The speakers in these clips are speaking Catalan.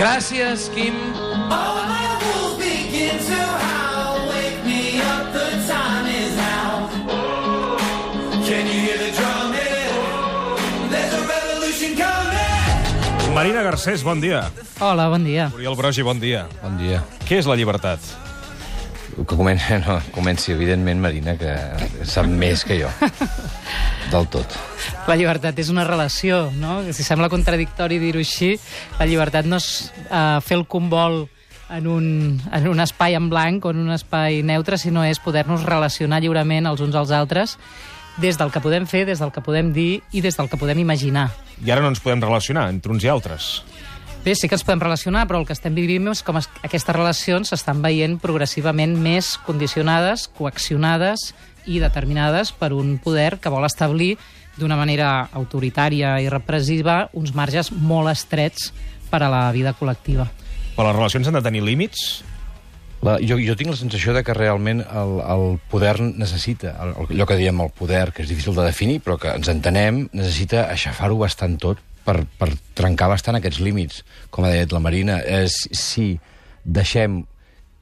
Gràcies, Quim. Marina Garcés, bon dia. Hola, bon dia. Oriol Brogi, bon dia. Bon dia. Què és la llibertat? Que comenci, evidentment, Marina, que sap més que jo. Del tot. La llibertat és una relació, no? Si sembla contradictori dir-ho així, la llibertat no és fer el combol en un espai en blanc o en un espai neutre, sinó és poder-nos relacionar lliurement els uns als altres des del que podem fer, des del que podem dir i des del que podem imaginar. I ara no ens podem relacionar entre uns i altres. Bé, sí que ens podem relacionar, però el que estem vivint és com aquestes relacions s'estan veient progressivament més condicionades, coaccionades i determinades per un poder que vol establir d'una manera autoritària i repressiva uns marges molt estrets per a la vida col·lectiva. Però les relacions han de tenir límits? Jo tinc la sensació de que realment el poder necessita, allò que diem el poder, que és difícil de definir, però que ens entenem, necessita aixafar-ho bastant tot per trencar bastant aquests límits. Com ha dit la Marina, si deixem,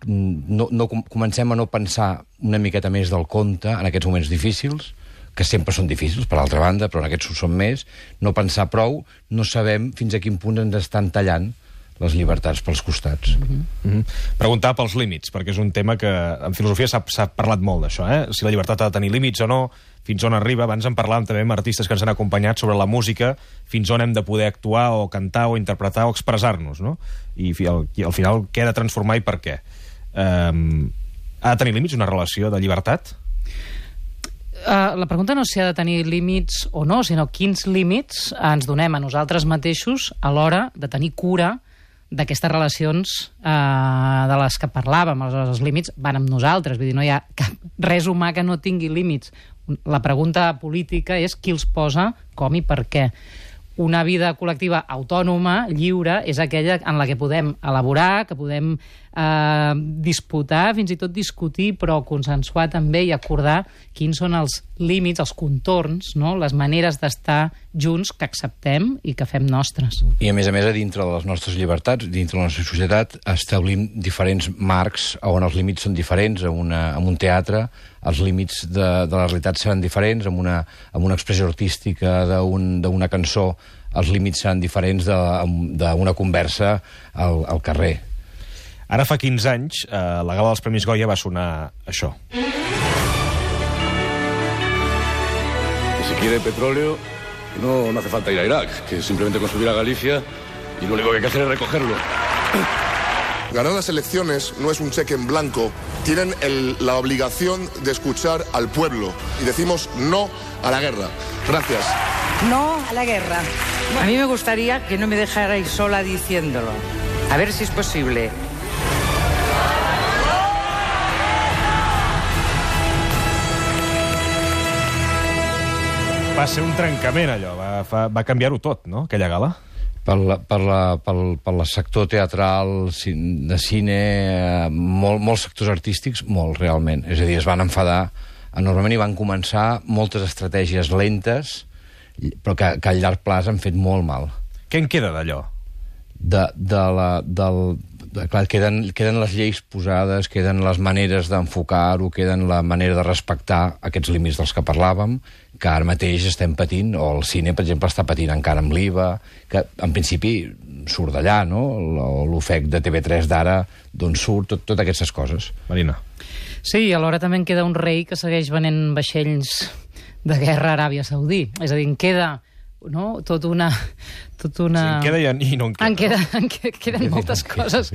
comencem a no pensar una miqueta més del compte en aquests moments difícils, que sempre són difícils, per l'altra banda, però en aquests ho són més, no pensar prou, no sabem fins a quin punt ens estan tallant les llibertats pels costats. Preguntar pels límits, perquè és un tema que en filosofia s'ha parlat molt d'això, si la llibertat ha de tenir límits o no, fins on arriba. Abans en parlàvem també amb artistes que ens han acompanyat sobre la música, fins on hem de poder actuar o cantar o interpretar o expressar-nos, no? I al final què ha de transformar i per què? Ha de tenir límits una relació de llibertat? La pregunta no és si ha de tenir límits o no, sinó quins límits ens donem a nosaltres mateixos a l'hora de tenir cura d'aquestes relacions de les que parlàvem. Els límits van amb nosaltres, vull dir, no hi ha res humà que no tingui límits. La pregunta política és qui els posa, com i per què. Una vida col·lectiva autònoma, lliure, és aquella en la que podem elaborar, que podem disputar, fins i tot discutir, però consensuar també i acordar quins són els límits, els contorns, no? Les maneres d'estar junts que acceptem i que fem nostres. I a més, a dintre de les nostres llibertats, dintre de la nostra societat, establim diferents marcs on els límits són diferents. En un teatre els límits de la realitat seran diferents, en una expressió artística d'una cançó els límits seran diferents d'una conversa al carrer. Ara fa 15 anys, la gala dels Premis Goya va sonar això. Si quiere petróleo, no hace falta ir a Irak, que simplemente con subir a Galicia y lo único que hay que hacer es recogerlo. Ganar las elecciones no es un cheque en blanco. Tienen la obligación de escuchar al pueblo. Y decimos no a la guerra. Gracias. No a la guerra. A mí me gustaría que no me dejarais sola diciéndolo. A ver si es posible. Va ser un trencament, allò. Va canviar-ho tot, no?, aquella gala. Per el sector teatral, de cine, molts sectors artístics, molt, realment. És a dir, es van enfadar enormement i van començar moltes estratègies lentes, però que a llarg plaç han fet molt mal. Què en queda d'allò? Clar, queden les lleis posades, queden les maneres d'enfocar-ho, queden la manera de respectar aquests límits dels que parlàvem, que ara mateix estem patint, o el cine, per exemple, està patint encara amb l'IVA, que en principi surt d'allà, no? L'ofec de TV3 d'ara, d'on surt, totes aquestes coses. Marina. Sí, i alhora també en queda un rei que segueix venent vaixells de guerra a Aràbia Saudí. És a dir, en queda... no? Tot una... Sí, en queda i no en queda. Queden moltes coses,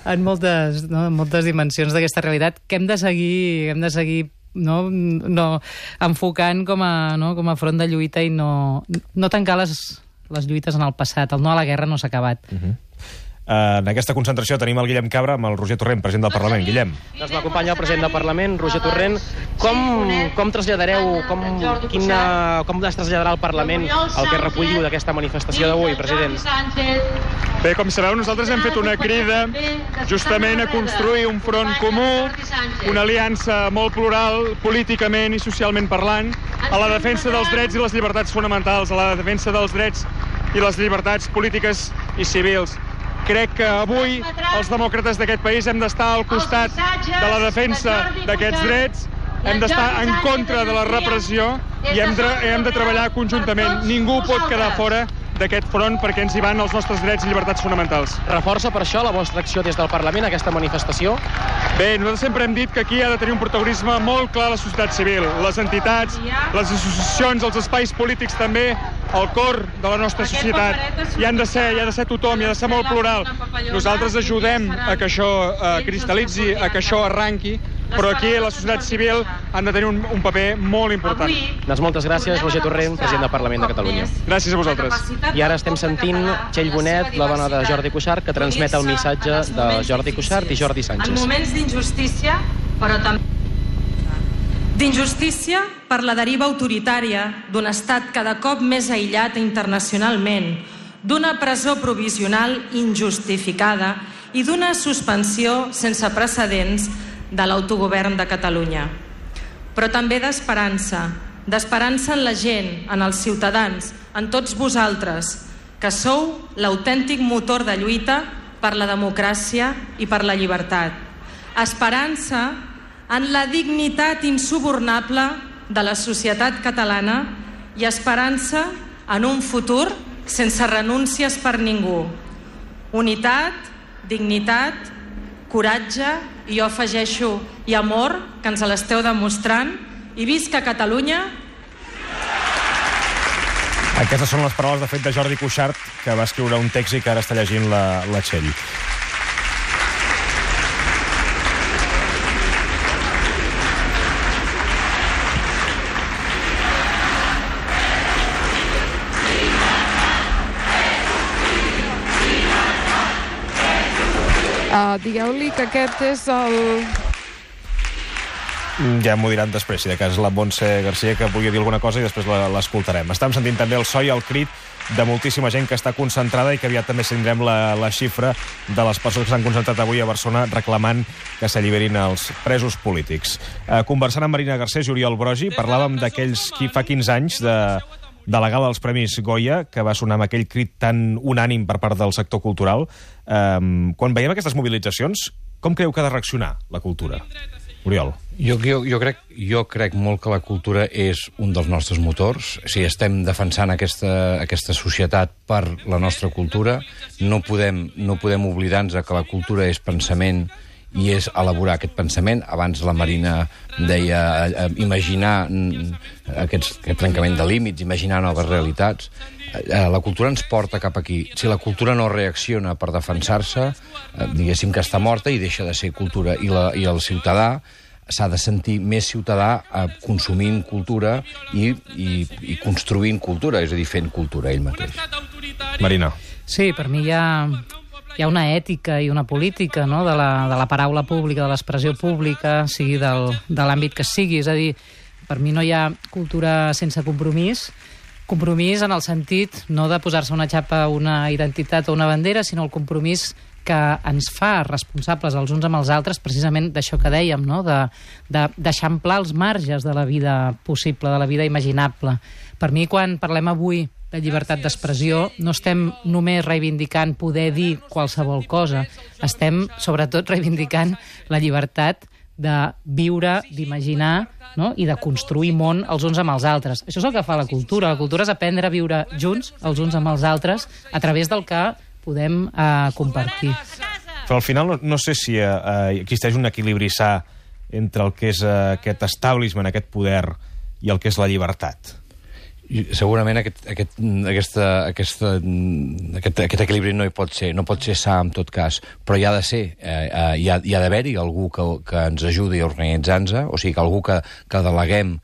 en moltes dimensions d'aquesta realitat que hem de seguir no, enfocant com a front de lluita i no tancar les lluites en el passat. El no a la guerra no s'ha acabat. En aquesta concentració tenim el Guillem Cabra amb el Roger Torrent, president del Parlament. Guillem. Doncs m'acompanya el president del Parlament, Roger Torrent. Com traslladareu, com es traslladarà al Parlament el que recolliu d'aquesta manifestació d'avui, president? Bé, com sabeu, nosaltres hem fet una crida justament a construir un front comú, una aliança molt plural, políticament i socialment parlant, a la defensa dels drets i les llibertats fonamentals, a la defensa dels drets i les llibertats polítiques i civils. Crec que avui els demòcrates d'aquest país hem d'estar al costat de la defensa d'aquests drets, hem d'estar en contra de la repressió i hem de treballar conjuntament. Ningú pot quedar fora d'aquest front perquè ens hi van els nostres drets i llibertats fonamentals. Reforça per això la vostra acció des del Parlament, aquesta manifestació? Bé, nosaltres sempre hem dit que aquí ha de tenir un protagonisme molt clar la societat civil, les entitats, les associacions, els espais polítics també, el cor de la nostra societat. Hi ha de ser tothom, hi ha de ser molt plural. Nosaltres ajudem a que això cristal·litzi, a que això arranqui, però aquí la societat civil han de tenir un paper molt important. Doncs moltes gràcies, Roger Torrent, president del Parlament de Catalunya. Gràcies a vosaltres. I ara estem sentint Txell Bonet, la dona de Jordi Cuixart, que transmet el missatge de Jordi Cuixart i Jordi Sánchez. En moments d'injustícia, però també d'injustícia per la deriva autoritària d'un estat cada cop més aïllat internacionalment, d'una presó provisional injustificada i d'una suspensió sense precedents de l'autogovern de Catalunya. Però també d'esperança en la gent, en els ciutadans, en tots vosaltres, que sou l'autèntic motor de lluita per la democràcia i per la llibertat. Esperança en la dignitat insubornable de la societat catalana i esperança en un futur sense renúncies per ningú. Unitat, dignitat, coratge i jo afegeixo i amor, que ens l'esteu demostrant, i visca Catalunya. Aquestes són les paraules, de fet, de Jordi Cuixart, que va escriure un text i que ara està llegint la Txell. Digueu-li que aquest és el... Ja m'ho diran després, si de cas la Montse Garcia, que vulgui dir alguna cosa i després l'escoltarem. Estem sentint també el so i el crit de moltíssima gent que està concentrada i que aviat també tindrem la xifra de les persones que s'han concentrat avui a Barcelona reclamant que s'alliberin els presos polítics. Conversant amb Marina Garcés i Oriol Brogi, parlàvem d'aquells qui fa 15 anys de la gala dels Premis Goya, que va sonar amb aquell crit tan unànim per part del sector cultural. Quan veiem aquestes mobilitzacions, com creieu que ha de reaccionar la cultura? Oriol. Jo crec molt que la cultura és un dels nostres motors. Si estem defensant aquesta societat per la nostra cultura, no podem oblidar-nos que la cultura és pensament i és elaborar aquest pensament. Abans la Marina deia imaginar aquest trencament de límits, imaginar noves realitats. La cultura ens porta cap aquí. Si la cultura no reacciona per defensar-se, diguéssim que està morta i deixa de ser cultura. I el ciutadà s'ha de sentir més ciutadà consumint cultura i construint cultura, és a dir, fent cultura ell mateix. Marina. Sí, per mi hi ha una ètica i una política, no?, de la paraula pública, de l'expressió pública, sigui de l'àmbit que sigui. És a dir, per mi no hi ha cultura sense compromís en el sentit no de posar-se una xapa, una identitat o una bandera, sinó el compromís que ens fa responsables els uns amb els altres, precisament d'això que dèiem, no?, d'eixamplar els marges de la vida possible, de la vida imaginable. Per mi, quan parlem avui de llibertat d'expressió, no estem només reivindicant poder dir qualsevol cosa, estem sobretot reivindicant la llibertat de viure, d'imaginar, no?, i de construir món els uns amb els altres. Això és el que fa la cultura. La cultura és aprendre a viure junts els uns amb els altres a través del que podem compartir. Però al final no sé si existeix un equilibri sa entre el que és aquest establishment, aquest poder, i el que és la llibertat. Segurament aquest equilibri no pot ser sa en tot cas, però hi ha de ser, hi ha d'haver-hi algú que ens ajudi a organitzar-nos, o sigui, que algú que deleguem,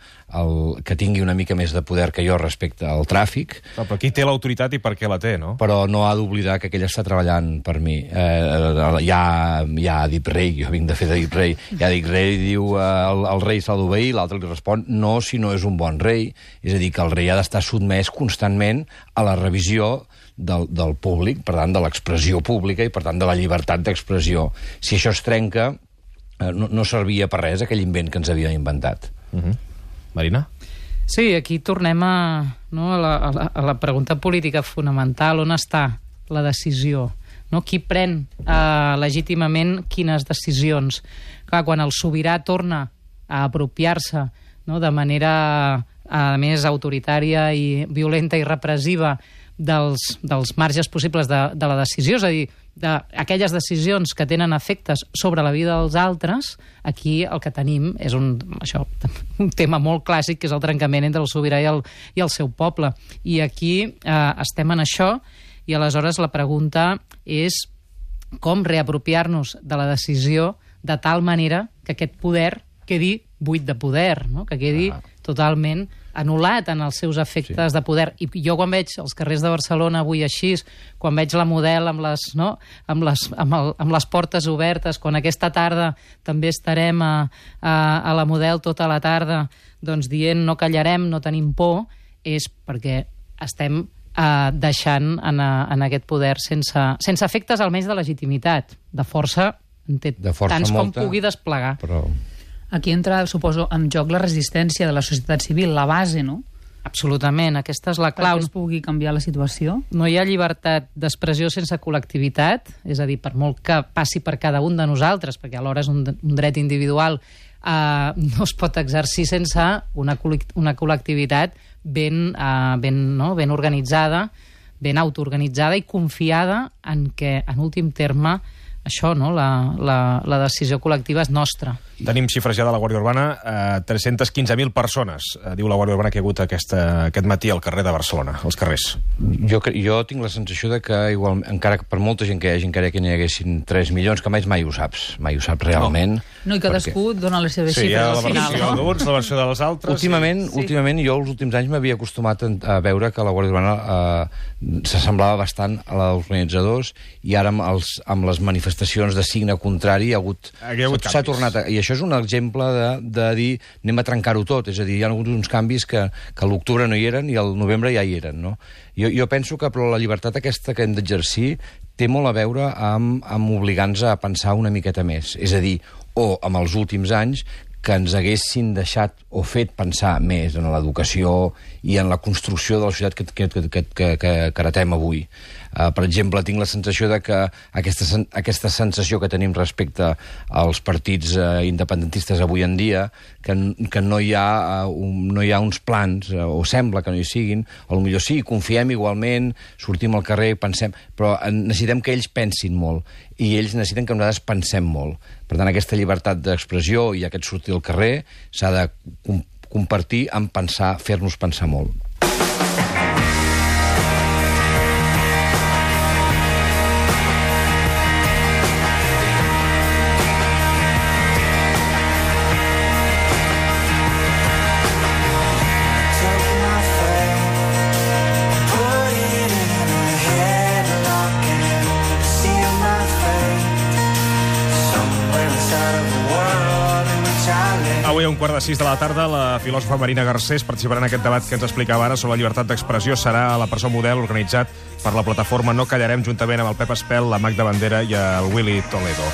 que tingui una mica més de poder que jo respecte al tràfic. Però qui té l'autoritat i per què la té, no? Però no ha d'oblidar que aquell està treballant per mi. Hi ha Edip Rei, jo vinc de fer d'Edip Rei, hi ha Edip Rei, diu el rei s'ha d'obeir, l'altre li respon no, si no és un bon rei. És a dir, que el rei ha d'estar sotmès constantment a la revisió del públic, per tant, de l'expressió pública i, per tant, de la llibertat d'expressió. Si això es trenca, no servia per res aquell invent que ens havien inventat. Marina? Sí, aquí tornem a la pregunta política fonamental. On està la decisió no? Qui pren legítimament quines decisions. Clar, quan el sobirà torna a apropiar-se, no? De manera, a més, autoritària i violenta i repressiva dels marges possibles de la decisió, és a dir, d'aquelles decisions que tenen efectes sobre la vida dels altres, aquí el que tenim és un tema molt clàssic, que és el trencament entre el sobirà i el seu poble. I aquí estem en això, i aleshores la pregunta és com reapropiar-nos de la decisió de tal manera que aquest poder quedi buit de poder, no? Que quedi totalment anul·lat en els seus efectes de poder. I jo quan veig els carrers de Barcelona avui així, quan veig la Model amb les portes obertes, quan aquesta tarda també estarem a la Model tota la tarda, doncs dient no callarem, no tenim por, és perquè estem deixant en aquest poder sense efectes almenys de legitimitat, de força, tants com pugui desplegar. Però... Aquí entra, suposo, en joc la resistència de la societat civil, la base, no? Absolutament, aquesta és la clau. Perquè es pugui canviar la situació. No hi ha llibertat d'expressió sense col·lectivitat, és a dir, per molt que passi per cada un de nosaltres, perquè alhora és un dret individual, no es pot exercir sense una col·lectivitat ben organitzada, ben autoorganitzada i confiada en que, en últim terme, això, no? La decisió col·lectiva és nostra. Tenim xifres ja de la Guàrdia Urbana, 315.000 persones, diu la Guàrdia Urbana, que hi ha hagut aquest matí al carrer de Barcelona, als carrers. Jo tinc la sensació de que, igual, encara que per molta gent que hi hagi, encara que n'hi haguessin 3 milions, que mai ho saps realment. No, i cadascú dona les seves xifres al final. Sí, hi ha la versió d'uns, la versió dels altres. Últimament, jo els últims anys m'havia acostumat a veure que la Guàrdia Urbana s'assemblava bastant als organitzadors, i ara amb les manifestacions de signe contrari s'ha tornat i això és un exemple de dir anem a trencar-ho tot, és a dir, hi ha hagut uns canvis que a l'octubre no hi eren i al novembre ja hi eren, no? Jo penso que però la llibertat aquesta que hem d'exercir té molt a veure amb obligar-nos a pensar una miqueta més, és a dir, o amb els últims anys que ens haguessin deixat o fet pensar més en l'educació i en la construcció de la societat que heretem avui. Per exemple, tinc la sensació de que aquesta sensació que tenim respecte als partits independentistes avui en dia, que no hi ha uns plans, o sembla que no hi siguin, o potser sí, confiem igualment, sortim al carrer, pensem, però necessitem que ells pensin molt, i ells necessiten que nosaltres pensem molt. Per tant, aquesta llibertat d'expressió i aquest sortir al carrer s'ha de compartir en pensar, fer-nos pensar molt. Avui a 5:15 de la tarda, la filòsofa Marina Garcés participarà en aquest debat que ens explicava ara sobre la llibertat d'expressió. Serà a la presó Model, organitzat per la plataforma No Callarem, juntament amb el Pep Espel, la Magda Bandera i el Willy Toledo.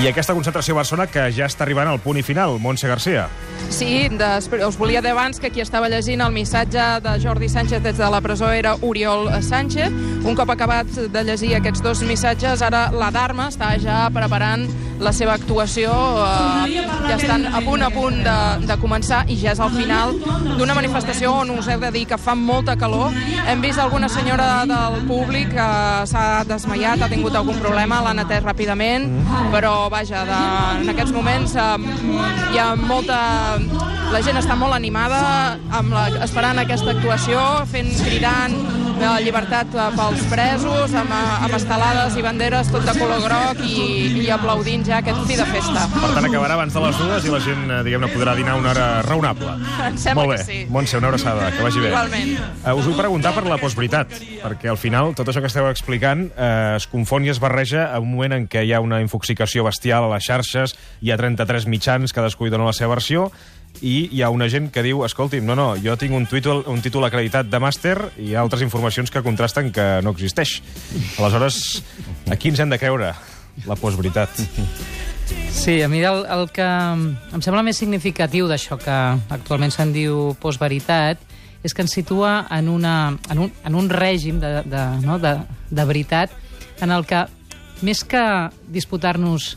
I aquesta concentració a Barcelona que ja està arribant al punt i final. Montse Garcia. Sí, us volia dir abans que qui estava llegint el missatge de Jordi Sánchez des de la presó era Oriol Sánchez. Un cop acabat de llegir aquests dos missatges, ara la Dharma està ja preparant la seva actuació. Ja estan a punt de començar i ja és al final d'una manifestació on us heu de dir que fa molta calor. Hem vist alguna senyora del públic que s'ha desmaiat, ha tingut algun problema, l'han atès ràpidament, però vaja, en aquests moments hi ha molta... La gent està molt animada esperant aquesta actuació, cridant llibertat pels presos, amb estelades i banderes tot de color groc i aplaudint ja aquest fi de festa. Per tant, acabarà abans de les 2 i la gent, diguem-ne, podrà dinar una hora raonable. Em sembla molt bé. Que sí. Montse, una abraçada, que vagi bé. Igualment. Us vull preguntar per la postveritat, perquè al final tot això que esteu explicant es confon i es barreja en un moment en què hi ha una infoxicació bestial a les xarxes, hi ha 33 mitjans, cadascú hi dona la seva versió, i hi ha una gent que diu, escolti'm, no, jo tinc un títol acreditat de màster i altres informacions que contrasten que no existeix. Aleshores, a qui ens hem de creure? La postveritat. Sí, a mi el que em sembla més significatiu d'això que actualment se'n diu postveritat és que ens situa en un règim de veritat en el que més que disputar-nos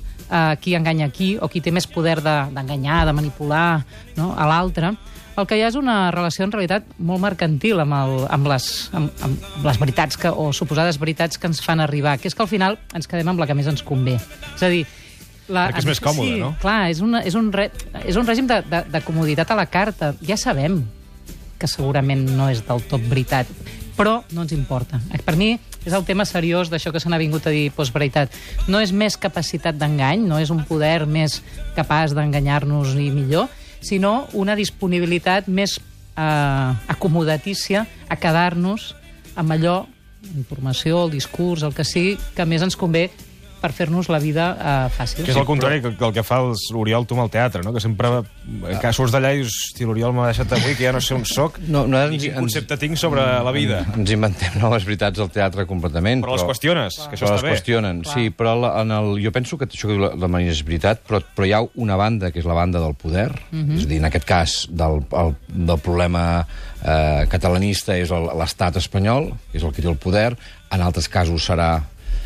qui enganya qui o qui té més poder d'enganyar, de manipular, no?, a l'altre, el que hi ha és una relació, en realitat, molt mercantil amb les veritats o suposades veritats que ens fan arribar, que és que al final ens quedem amb la que més ens convé. És a dir, perquè és més còmode, no? Clar, és un règim de comoditat a la carta. Ja sabem que segurament no és del tot veritat, però no ens importa. Per mi és el tema seriós d'això que se n'ha vingut a dir postveritat. No és més capacitat d'engany, no és un poder més capaç d'enganyar-nos i millor, sinó una disponibilitat més acomodatícia a quedar-nos amb allò, informació, el discurs, el que sigui, que més ens convé per fer-nos la vida fàcil. Que és el contrari que el que fa l'Oriol tu amb el teatre, no? Que sempre que surts d'allà i dius, hosti, l'Oriol m'ha deixat avui, que ja no sé on soc, ni quin concepte tinc sobre la vida. Ens inventem noves veritats del teatre completament. Però les qüestiones, que això està bé. Les qüestionen, sí, però jo penso que això que diu la Marina és veritat, però hi ha una banda, que és la banda del poder, és a dir, en aquest cas, del problema catalanista és l'estat espanyol, que és el que té el poder, en altres casos serà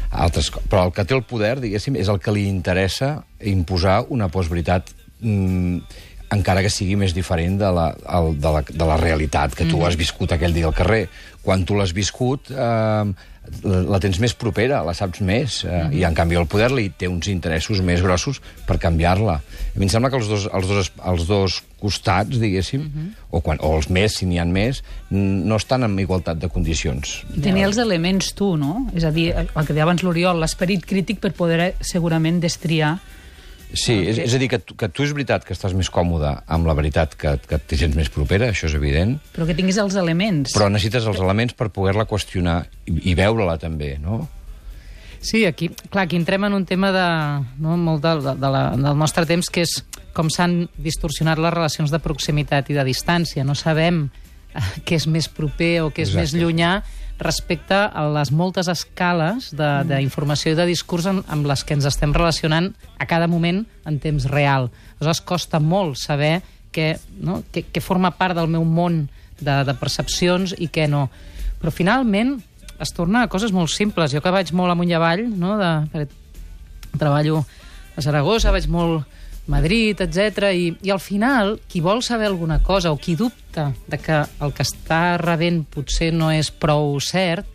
però el que té el poder, diguéssim, és el que li interessa imposar una postveritat encara que sigui més diferent de la realitat que tu has viscut aquell dia al carrer. Quan tu l'has viscut la tens més propera, la saps més, i en canvi el poder li té uns interessos més grossos per canviar-la. A mi em sembla que els dos costats, diguéssim, o els més, si n'hi ha més, no estan en igualtat de condicions. Tenir els elements tu, no? És a dir, el que deia abans l'Oriol, l'esperit crític per poder segurament destriar. Sí, és a dir, que tu és veritat que estàs més còmode amb la veritat que té gens més propera, això és evident. Però que tinguis els elements. Però necessites els elements per poder-la qüestionar i veure-la també, no? Sí, aquí entrem en un tema molt del nostre temps, que és com s'han distorsionat les relacions de proximitat i de distància. No sabem què és més proper o què és més llunyà respecte a les moltes escales d'informació i de discurs amb les que ens estem relacionant a cada moment en temps real. Aleshores, costa molt saber què forma part del meu món de percepcions i què no. Però finalment es torna a coses molt simples. Jo que vaig molt amunt i avall, treballo a Saragossa, vaig molt Madrid, etc. I al final, qui vol saber alguna cosa o qui dubta de que el que està rebent potser no és prou cert,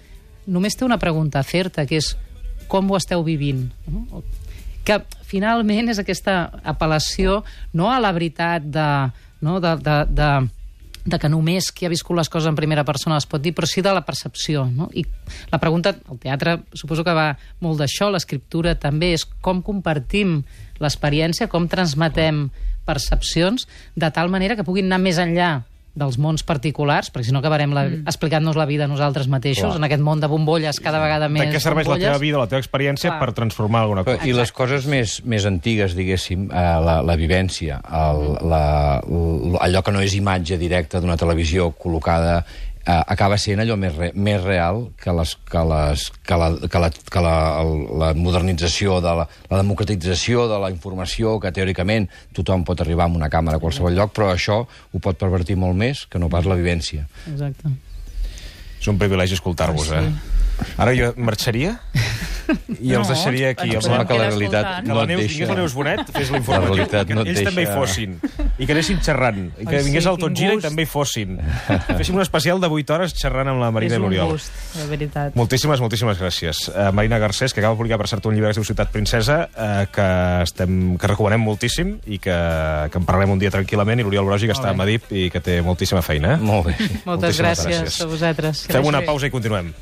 només té una pregunta a fer-te, que és com ho esteu vivint? No? Que finalment és aquesta apel·lació no a la veritat de que només qui ha viscut les coses en primera persona les pot dir, però sí de la percepció. No? I la pregunta, el teatre suposo que va molt d'això, l'escriptura també, és com compartim l'experiència, com transmetem percepcions, de tal manera que puguin anar més enllà dels mons particulars, perquè si no acabarem explicant-nos la vida a nosaltres mateixos, en aquest món de bombolles cada vegada més bombolles. De què serveix la teva vida, la teva experiència per transformar alguna cosa? I les coses més antigues, diguéssim, la vivència, allò que no és imatge directa d'una televisió col·locada, acaba sent allò més real que la modernització, la democratització de la informació, que teòricament tothom pot arribar a una càmera a qualsevol lloc, però això ho pot pervertir molt més que no pas la vivència. Exacte. És un privilegi escoltar-vos, Ara jo marxaria i els deixaria aquí. Em sembla que la realitat no et deixa. Vingués la Neus Bonet, fes l'informatiu, que ells també hi fossin, i que anessin xerrant, i que vingués el Tot Gira i també hi fossin. Féssim un especial de 8 hores xerrant amb la Marina i l'Oriol. És un gust, de veritat. Moltíssimes gràcies. Marina Garcés, que acaba de publicar per cert un llibre que es diu Ciutat Princesa, que recomanem moltíssim i que en parlarem un dia tranquil·lament, i l'Oriol Brogi, que està a Madrid i que té moltíssima feina. Molt bé. Moltes gràcies a vosaltres. Fem una pausa i continuem.